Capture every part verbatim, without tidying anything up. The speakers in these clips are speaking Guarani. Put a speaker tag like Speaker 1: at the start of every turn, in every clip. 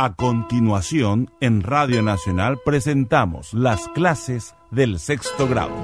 Speaker 1: A continuación, en Radio Nacional presentamos las clases del sexto grado.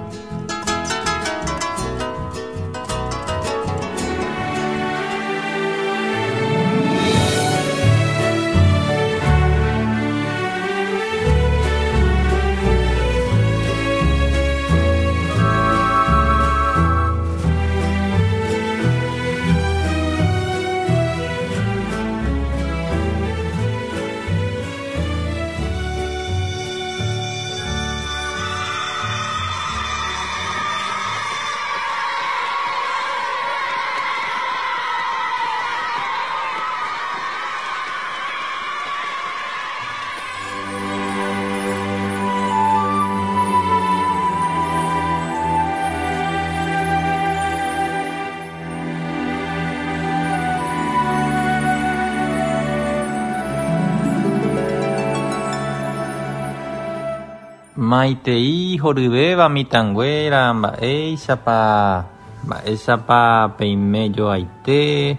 Speaker 2: Maitei horyvéva mitãnguéra mba'éichapa mba'éichapa peimejoaite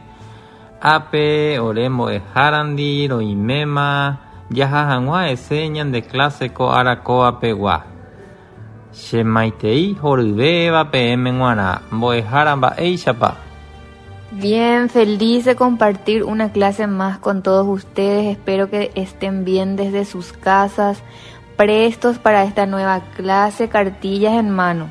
Speaker 2: ápe ore mbo'ehárandi roiméma jaha hag̃ua hese ñande clase ko arakóapegua. Che maitei horyvéva peẽme g̃uarã mbo'ehára mba'éichapa.
Speaker 3: Bien, feliz de compartir una clase más con todos ustedes. Espero que estén bien desde sus casas, prestos para esta nueva clase, cartillas en mano.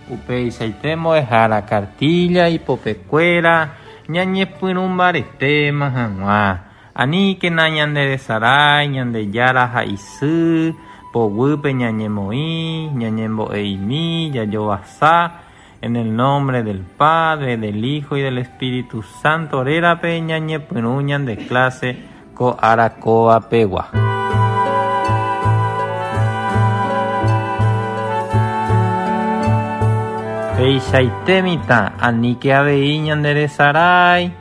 Speaker 2: Upeichaite mbo'ehára cartilla ipopekuéra ñañepyrũmbaretéma hag̃ua. Aníkena ñanderesarái Ñandejára ha isy poguýpe ñañemoĩ, ñañembo'eimi, jajovasa. En el nombre del Padre, del Hijo y del Espíritu Santo rérape ñañepyrũ ñande clase ko arakóapegua. Peichaite mitã aníke avei ñanderesarái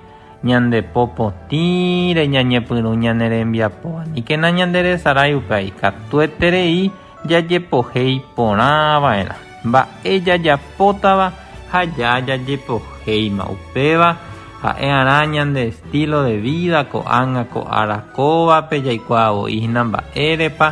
Speaker 2: ñandepopotĩre ñañepyrũ ñanerembiapo aníkena ñanderesarái upéi katueterei jajepohéi porãva'erã mba'e jajapótava ha jajajepohéima upéva ha'e'arã ñande estilo de vida ko'ág̃a ko arakóvape jaikuaavo'ína mba'érepa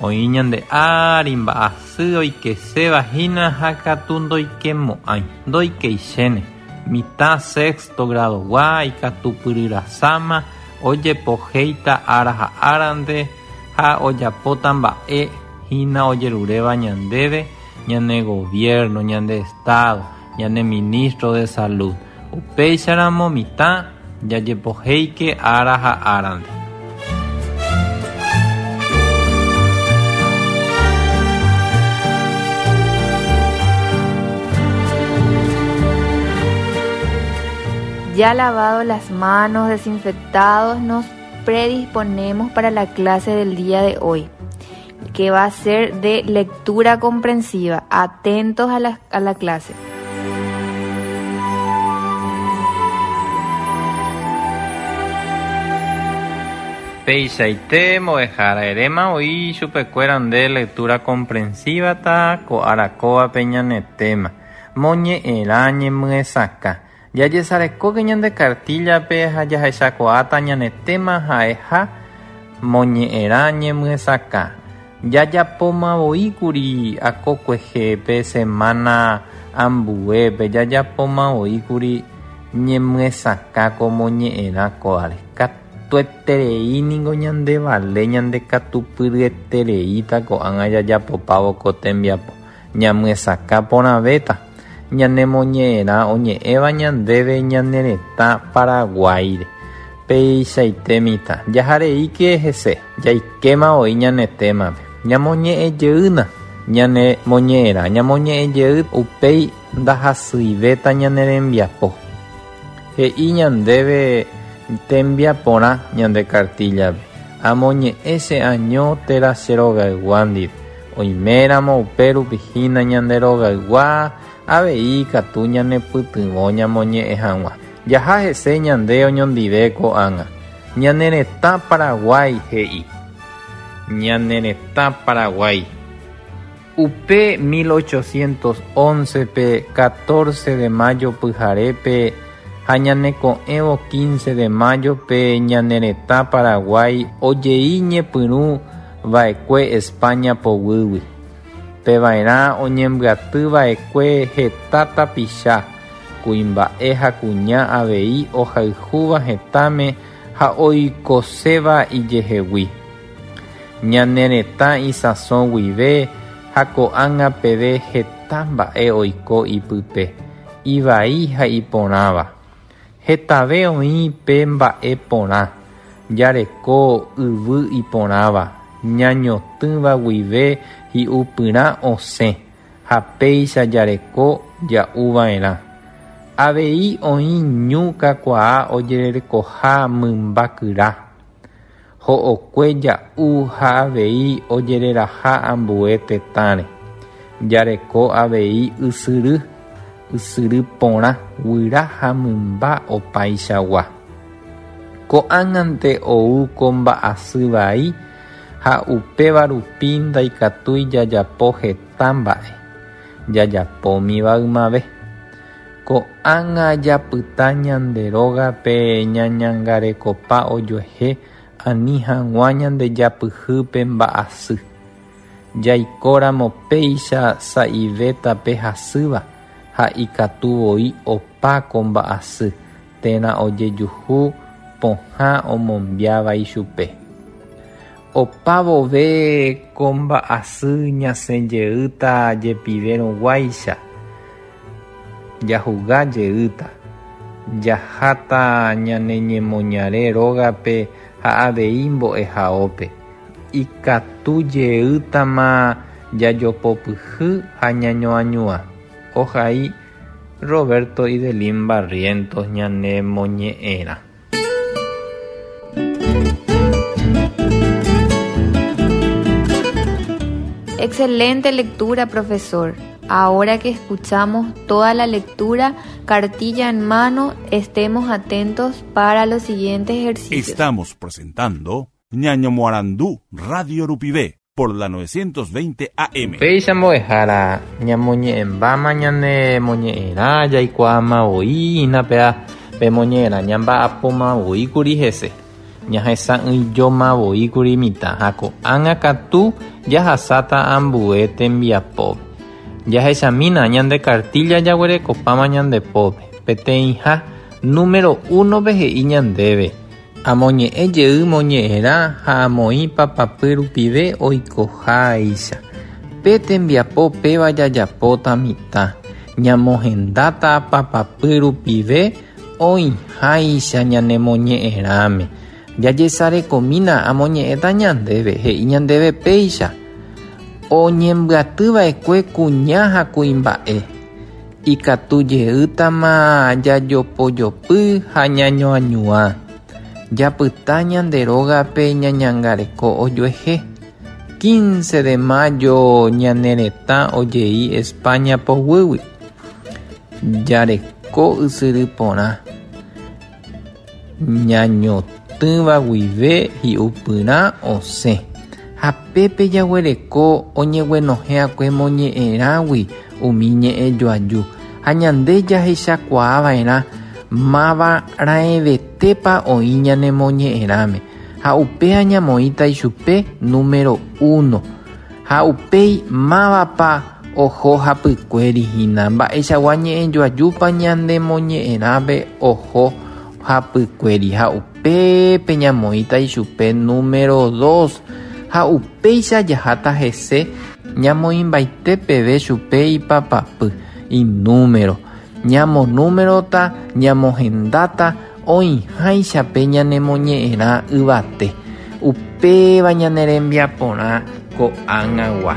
Speaker 2: oĩ ñande ári mba'asy oikesévahína ha katu ndoikemo'ãi ndoikeichéne mitã sexto gradogua ikatupyryrasáma ojepohéita ára ha árante ha ojapóta mba'e hína ojeruréva ñandéve ñane gobierno, ñande estado, ñane ministro de salud. Upéicharamo mitã jajepohéike ára ha árante.
Speaker 3: Ya lavado las manos, desinfectados, nos predisponemos para la clase del día de hoy, que va a ser de lectura comprensiva. Atentos a la, a la clase.
Speaker 2: Peichaite mbo'ehára eréma oĩ chupekuéra nde lectura comprensiva ta ko arakóvape ñane tema moñe'ẽrã ñemyesakã. Jajesarekóke ñande cartillape ha jahechakuaáta ñane tema ha'eha moñe'ẽrã ñemyesakã. Jajapomavoíkuri akokuehépe semana ambuépe jajapomavoíkuri ñemyesakã ko moñe'ẽrã kóare. Katueterei ningo ñandevale ñandekatupyryetereíta ko'ág̃a jajapopávo ko tembiapo. Ñamyesakã porãvéta. Ñanemoñe'ẽrã oñe'ẽva ñandéve ñane retã Paraguáire. Peichaite mitã jahareíke hese jaikéma oĩ ñane témape. Ñamoñe'ẽjeýna ñanemoñe'ẽrã ñamoñe'ẽjey upéi ndahasyivéta ñane rembiapo. He'i ñandéve tembiaporã ñande cartillape. Amoñe'ẽ che año térã che rogaygua ndive. Oiméramo upérupi hína ñande rogaygua avei katu ñanepytyvõ ñamoñe'ẽ hag̃ua. Jaha hese ñande oñondive ko'ág̃a. Ñane retã Paraguái he'i. Ñane retã Paraguái. Upe mil ochocientos once pe catorce de mayo pyharépe Ha ñaneko'ẽvo quince de mayo pe ñane retã Paraguái ojei ñepyrũ va'ekue España poguýgui. Peva'erã oñembyatyva'ekue heta tapicha, kuimba'e ha kuña avei ohayhúva hetãme ha oikoséva ijehegui. Ñane retã isãso guive ha ko'ág̃a peve heta mba'e oiko ipype, ivai ha iporãva. Hetave oĩ pe mba'e porã, jareko yvy iporãva, ñañotỹva guive hi'upyrã osẽ ha péicha jareko ja'uva'erã. Avei oĩ ñu kakuaa ojererekoha mymba kyra. Ho'okue ja'u ha avei ojereraha ambue tetãre. Jareko avei ysyry, ysyry porã guyra ha mymba opaichagua. Ko'ág̃ante ou ko mba'asy vai ha upéva rupi ndaikatúi jajapo heta mba'e, jajapómiva ymave. Ko'ág̃a japyta ñande rógape ñañangarekopa ojuehe ani hag̃ua ñandejapyhýpe mba'asy. Jaikóramo péicha sa'ivéta pe hasýva ha ikatuvoi opa ko mba'asy térã ojejuhu pohã omombiáva ichupe. Opa vove ko mba'asy ñasẽjeýta jepivérõguáicha, jahuga jeýta, jaháta ñane ñemoñare rógape ha avei mbo'ehaópe. Ikatu jeýtama jajopopyhy ha ñañoañua. Ohai Roberto Idelín Barrientos ñane moñe'ẽrã.
Speaker 3: Excelente lectura, profesor. Ahora que escuchamos toda la lectura, cartilla en mano, estemos atentos para los siguientes ejercicios.
Speaker 1: Estamos presentando Ñaño Moarandú Radio Rupivé por la novecientos veinte A M.
Speaker 2: Péicha mbo'ehára ñamoñe'ẽmbáma ñane moñe'ẽrã jaikuaamavoi hína pe moñe'ẽrã ñamba'apomavoíkuri hese. Ñahesa'ỹijomavoíkuri mitã ha ko'ág̃a katu jahasáta ambue tembiapópe. Jahechamína ñande cartilla jaguerekopáma ñande pópe. Peteĩha número uno-pe he'i ñandéve. Amoñe'ẽ jey moñe'ẽrã ha amoĩ papapy rupive oikoháicha. Pe tembiapo péva jajapóta mitã. Ñamohendáta papapy rupive oĩháicha ñane moñe'ẽrãme. Jajesarekomína amoñe'ẽta ñandéve he'i ñandéve péicha. Oñembyatyva'ekue kuña ha kuimba'e. Ikatu jeýtama jajopojopy ha ñañoañua. Japyta ñande rógape ñañangareko ojuehe. quince de mayo ñane retã ojei España poguýgui. Jareko ysyry porã. Ñañotỹva guive hi'upyrã osẽ. Ha pépe jaguereko oñeguenohẽakue moñe'ẽrãgui umi ñe'ẽjoaju. Ha ñande jahechakuaava'erã máva raẽvetépa oĩ ñane moñe'ẽrãme. Ha upéva ñamoĩta ichupe número uno. Ha upéi mávapa oho hapykuéri hína. Mba'eichagua ñe'ẽjoajúpa ñande moñe'ẽrãpe oho hapykuéri. Ha upépe ñamoĩta ichupe número dos. Ha upéicha jaháta hese ñamoĩmbaite peve chupe ipapapy inúmero. Ñamonúmerota, ñamohendáta oĩháichape ñanemoñe'ẽrã yvate. Upéva ñane rembiaporã ko'ág̃agua.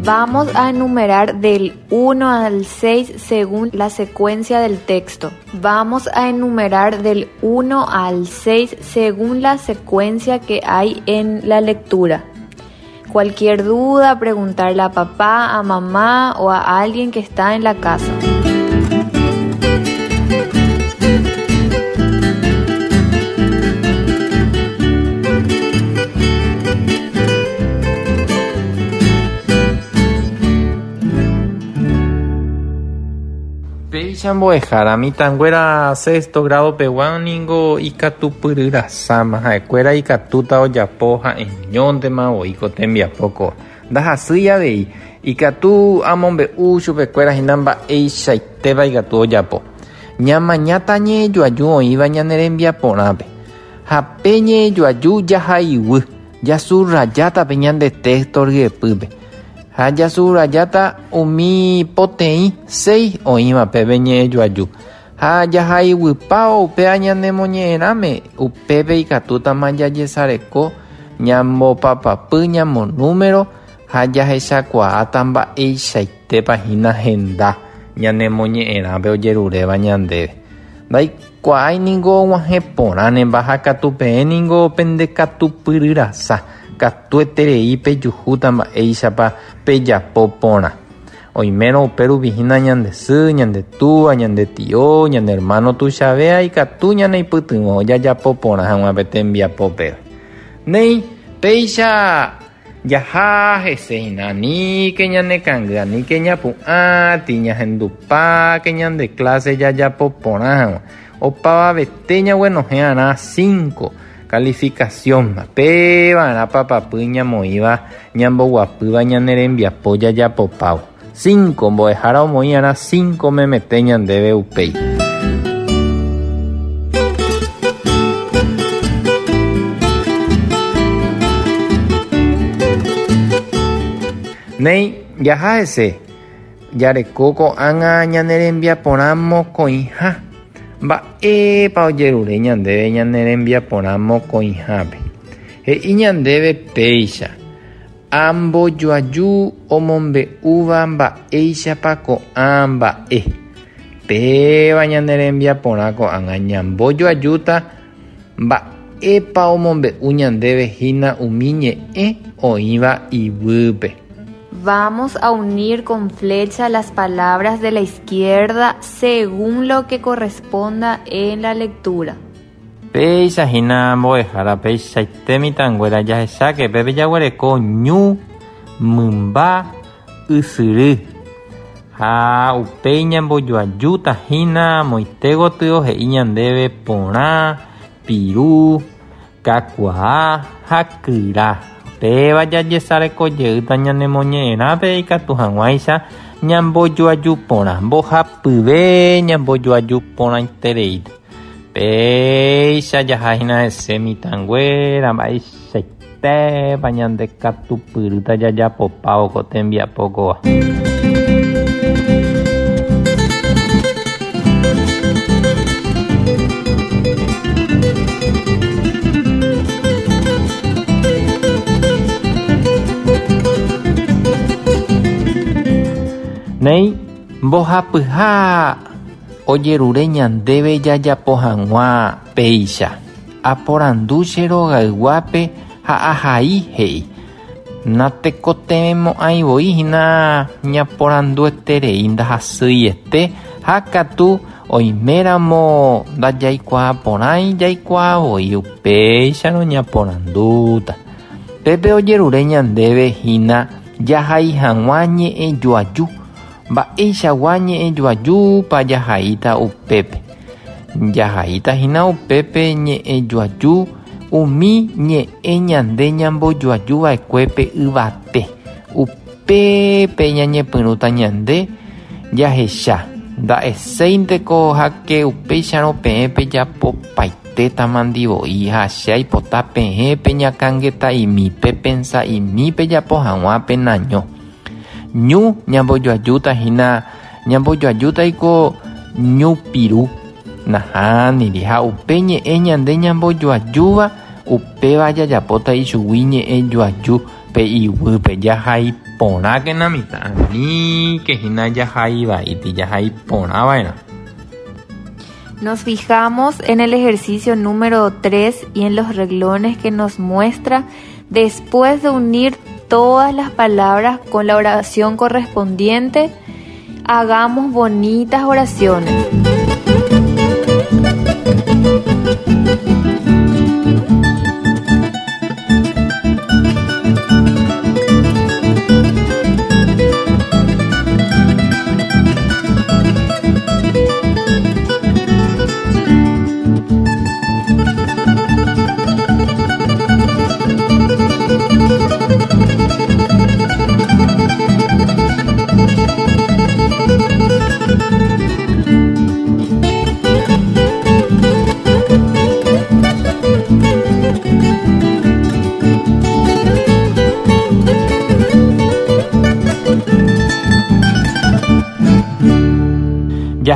Speaker 3: Vamos a enumerar del uno al seis según la secuencia del texto. Vamos a enumerar del uno al seis según la secuencia que hay en la lectura. Cualquier duda, preguntarle a papá, a mamá o a alguien que está en la casa.
Speaker 2: Péicha mbo'ehára mitãnguéra sexto grado pegua ningo ikatupyryrasama ha'ekuéra ikatúta ojapo ha'eñóntema voi ko tembiapo ko ndahasýi avei ikatu amombe'u chupekuéra hína mba'eichaitéva ikatu ojapo ñamañáta ñe'ẽjoaju oĩva ñane rembiaporãpe ha pe ñe'ẽjoaju jahaiguy jasurrajáta pe ñande texto ryepýpe ha jasurrajáta umi poteĩ seis oĩva peve ñe'ẽjoaju ha jahaiguypávo upéva ñanemoñe'ẽrãme upépe ikatútama jajesareko ñambopapapy ñamonúmero ha jahechakuaáta mba'eichaitépa hína henda ñanemoñe'ẽrãpe ojeruréva ñandéve ndaikuaái ningo og̃uahẽ porãnemba ha katu peẽ ningo pendekatupyryrasa katueterei pejuhúta mba'éichapa pejapo porã oimérõ upérupi hína ñande sy, ñande túva, ñande tio, ñane hermano tuichavéa ikatu ñaneipytyvõ jajapo porã hag̃ua pe tembiapópe. Néi péicha jaha hese hína aníke ñanekangy aníke ñapu'ãti ñahendupáke ñande clase jajapo porã hag̃ua opavavete ñaguenohẽ'arã cinco calificación péva'erã papapy ñamoĩva ñamboguapýva ñane rembiapo jajapopávo cinco mbo'ehára omoĩ'arã cinco memete ñandéve upéi. Néi jaha hese jareko ko'ág̃a ñane rembiaporã mokõiha mba'épa ojerure ñandéve ñane rembiaporã mokõihápe he'i ñandéve péicha ambojoaju omombe'úva mba'éichapa ko'ã mba'e péva ñane rembiaporã ko'ág̃a ñambojoajúta mba'épa omombe'u ñandéve hína umi ñe'ẽ oĩva iguýpe.
Speaker 3: Vamos a unir con flecha las palabras de la izquierda según lo que corresponda en la lectura.
Speaker 2: Péicha hína mbo'ehára peichaite mitãnguéra jahecháke pépe jaguereko ñu, mymba, ysyry ha upéi ñambojoajúta hína moite gotyo he'i ñandéve porã, piru, kakuaa ha kyra. Péva jajesarekojeýta ñanemoñe'ẽrãpe ikatu hag̃uáicha ñambojoaju porã mbohapyve ñambojoaju porãitereíta péicha jaha hína hese mitãnguéra mba'eichaitépa ñandekatupyrýta jajapopávo ko tembiapo kóva. Néi mbohapyha ojerure ñandéve jajapo hag̃ua péicha aporandu che rogayguápe ha ahai he'i natekotevẽmo'ãi voi hína ñaporandueterei ndahasýiete ha katu oiméramo ndajaikuaa porãi jaikuaa voi upéicharõ ñaporandúta pépe ojerure ñandéve hína jahai hag̃ua ñe'ẽjoaju mba'eichagua ñe'ẽjoajúpa jahaíta upépe jahaíta hína upépe ñe'ẽjoaju umi ñe'ẽ ñande ñambojoajuva'ekuépe yvate upépe ñañepyrũta ñande jahecha nda'eséinteko háke upéicharõ peẽ pejapopaitétama ndivoi ha che aipota peẽ peñakãngeta'imi pepensa'imi pejapo hag̃ua penaño ñu ñambojoajúta hína ñambojoajútaiko ñu piru nahániri ha upe ñe'ẽ ñande ñambojoajúva upéva jajapóta ichugui ñe'ẽjoaju pe iguýpe jahai porãkena mitã aníke hína jahaivaíti jahai porãva'erã.
Speaker 3: Nos fijamos en el ejercicio número tres y en los renglones que nos muestra después de unir todas las palabras con la oración correspondiente, hagamos bonitas oraciones.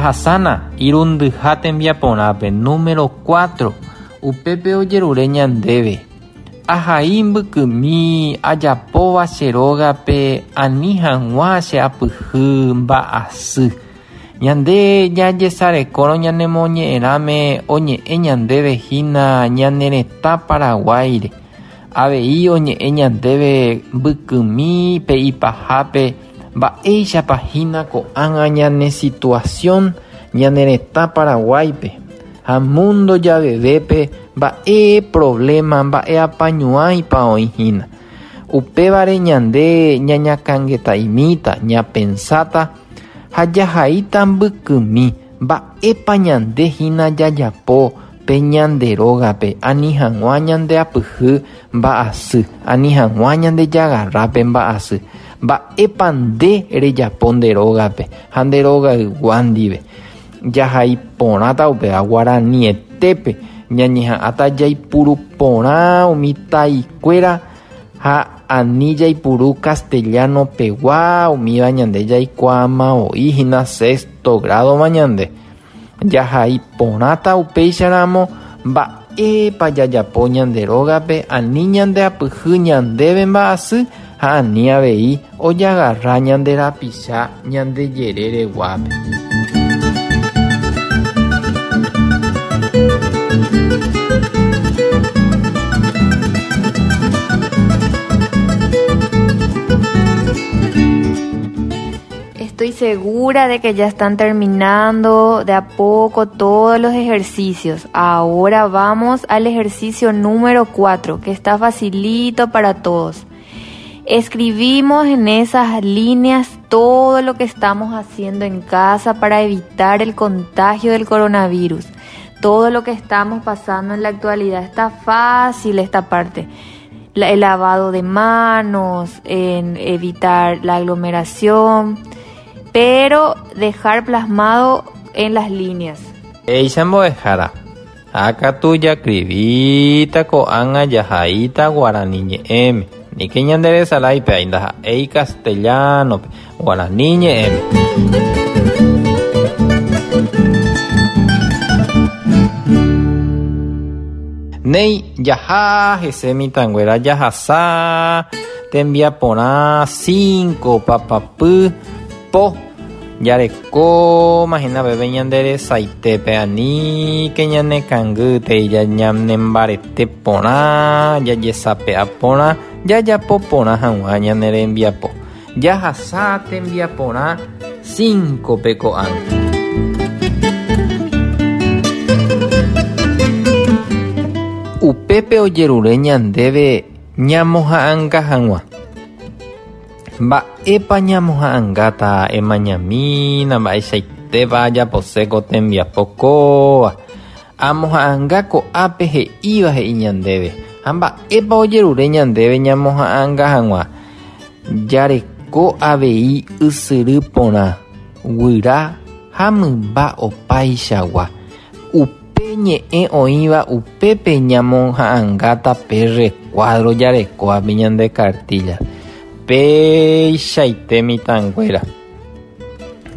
Speaker 2: Jahasana irundyha tembiaporãpe número cuatro upépe ojerure ñandéve ahai mbykymi ajapóva che rógape ani hag̃ua che apyhy mba'asy. Ñande jajesarekórõ ñanemoñe'ẽrãme oñe'ẽ ñandéve hína ñane retã Paraguáire. Avei oñe'ẽ ñandéve mbykymi pe ipahápe mba'éichapa hína ko'ág̃a ñane situación ñane retã Paraguáipe ha mundo javevépe mba'e problema mba'e apañuãipa oĩ hína. Upévare ñande ñañakãngeta'imíta ñapensáta ha jahaíta mbykymi mba'épa ñande hína jajapo pe ñande rógape ani hag̃ua ñande apyhy mba'asy ani hag̃ua ñande jagarrápe mba'asy. Mba'épa nde rejapo nde rógape ha nde rogaygua ndive. Jahai porãta upéva guaranietépe ñañeha'ãta jaipuru porã umi taikuéra ha ani jaipuru castellano pegua umíva ñande jaikuaamavoi hína sexto grado-ma ñande. Jahai porãta upéicharamo mba'épa jajapo ñande rógape ani ñande apyhy ñandéve mba'asy ha ani avei ojagarra ñande rapicha ñande jerereguápe.
Speaker 3: Estoy segura de que ya están terminando de a poco todos los ejercicios. Ahora vamos al ejercicio número cuatro, que está facilito para todos. Escribimos en esas líneas todo lo que estamos haciendo en casa para evitar el contagio del coronavirus. Todo lo que estamos pasando en la actualidad. Está fácil esta parte. La, el lavado de manos, en evitar la aglomeración, pero dejar plasmado en las líneas.
Speaker 2: Eicha mbo'ehára. Ha katu jakrivita ko'ág̃a jahaíta guarani ñe'ẽme. Nike ñanderesaláipe ndaha'éi castellano-pe guarani ñe'ẽme. Néi jaha hese mitãnguéra jahasa tembiaporã cinco papapy po jareko mahína peve ñanderesaitépe aníke ñanekãngýtei ñanembarete porã jajesape'a porã jajapo porã hag̃ua ñane rembiapo. Jahasa tembiaporã cinco-pe ko'ág̃a. Upépe ojerure ñandéve ñamoha'ãnga hag̃ua. Mba'épa ñamoha'ãngáta emañamína mba'eichaitépa ajapose ko tembiapo kóva. Amoha'ãnga ko'ápe he'íva he'i ñandéve ha mba'épa ojerure ñandéve ñamoha'ãnga hag̃ua. Jareko avei ysyry porã, guyra ha mymba opaichagua. Upe ñe'ẽ oĩva upépe ñamoha'ãngáta pe recuadro jarekóvape ñande cartilla. Péichaite mitãnguéra.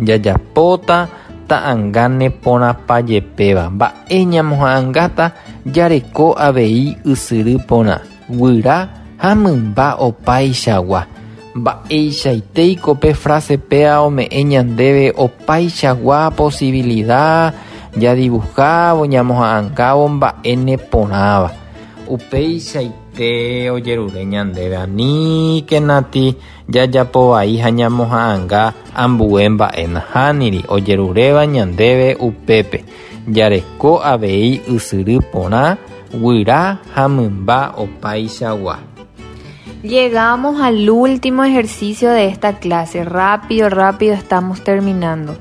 Speaker 2: Jajapóta ta'ãnga neporãpajepéva. Mba'e ñamoha'ãngáta jareko avei ysyry porã, guyra ha mymba opaichagua. Mba'eichaitéiko pe frase péa ome'ẽ ñandéve opaichagua posibilidad jadibujávo ñamoha'ãngávo mba'e neporãva. Upeichaite ojerure ñandéve aníke nati jajapovai ha ñamoha'ãnga ambue mba'e nahániri ojeruréva ñandéve upépe. Jareko avei ysyry porã, guyra ha mymba opaichagua.
Speaker 3: Llegamos al último ejercicio de esta clase. Rápido, rápido estamos terminando.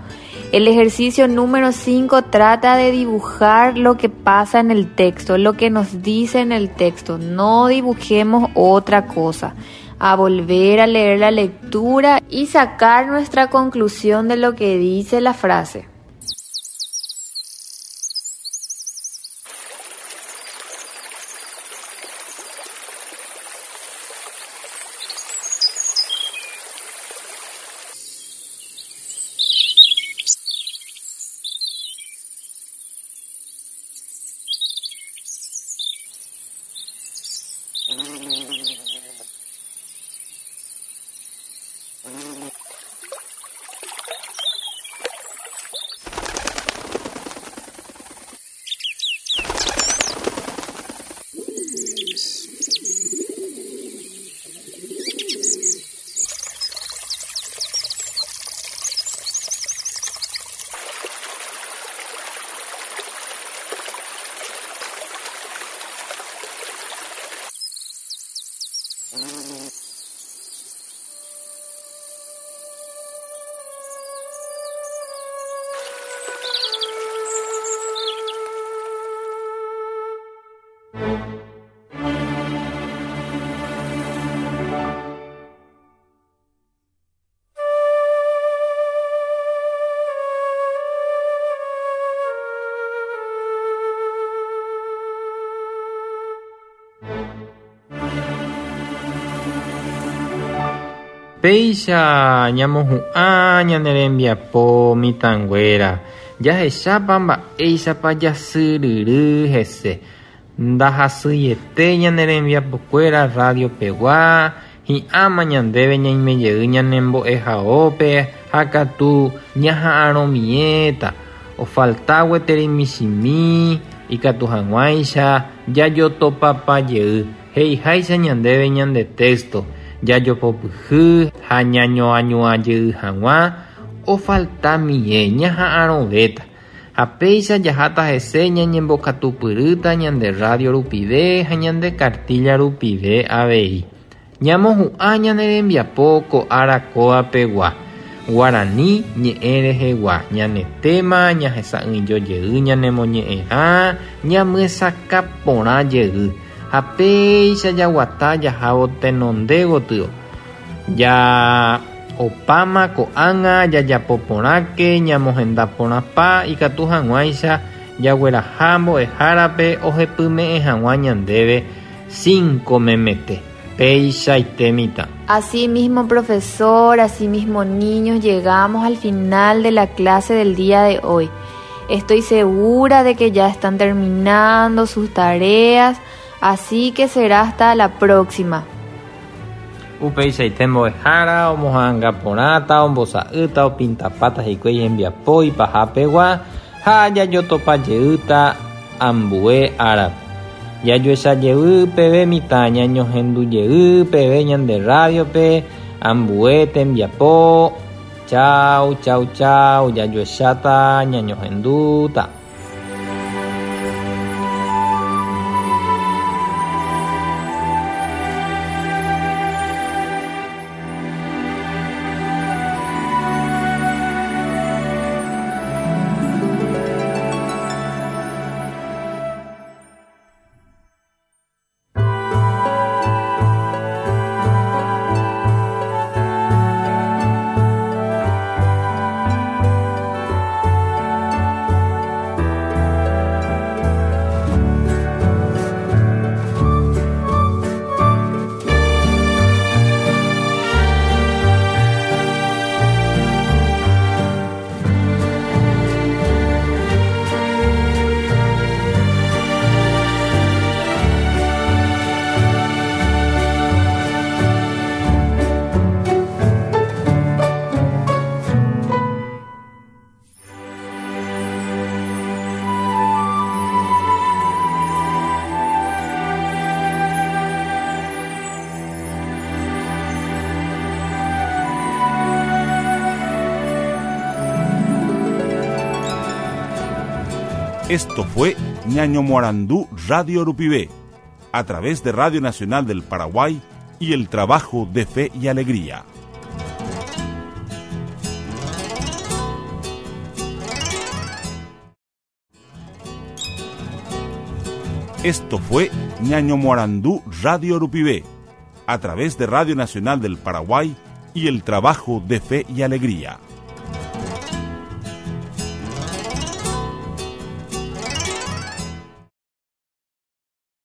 Speaker 3: El ejercicio número cinco trata de dibujar lo que pasa en el texto, lo que nos dice en el texto. No dibujemos otra cosa. A volver a leer la lectura y sacar nuestra conclusión de lo que dice la frase.
Speaker 2: Péicha ñamohu'ã ñane rembiapo mitãnguéra jahechápa mba'éichapa jasyryry hese ndahasyiete ñane rembiapokuéra radio pegua hi'áma ñandéve ñaimejey ñanembo'ehaópe ha katu ñaha'arõmiéta ofalta gueteri michĩmi ikatu hag̃uáicha jajotopapajey he'iháicha ñandéve ñande texto jajopopyhy ha ñañoañuãjey hag̃ua ofaltamie ñaha'arõvéta ha péicha jaháta hese ñañembokatupyrýta ñande radio rupive ha ñande cartilla rupive avei ñamohu'ã ñane rembiapo ko ára kóapegua guarani ñe'ẽ rehegua ñane tema ñahesa'ỹijojey ñanemoñe'ẽrã ñamyesakã porã jey ha péicha jaguata jahávo tenonde gotyo ja opáma ko'ág̃a jajapo porãke ñamohenda porãpa ikatu hag̃uáicha jagueraha mbo'ehárape ohepyme'ẽ hag̃ua ñandéve cinco memete peichaite mitã.
Speaker 3: Así mismo, profesor, así mismo, niños, llegamos al final de la clase del día de hoy. Estoy segura de que ya están terminando sus tareas, así que será hasta la próxima.
Speaker 2: Upeichaite mbo'ehára omoha'ãnga porãta ombosa'ýta opintapáta hikuái hembiapo ipahapegua ha jajotopajeýta ambue árape. Jajoechajey peve mitã ñañohendujey peve ñande radiope ambue tembiapo. Chau, chau, chau. Jajoecháta ñañohendúta.
Speaker 1: Esto fue Ñaño Morandú Radio Rupivé, a través de Radio Nacional del Paraguay y el trabajo de Fe y Alegría. Esto fue Ñaño Morandú Radio Rupivé, a través de Radio Nacional del Paraguay y el trabajo de Fe y Alegría.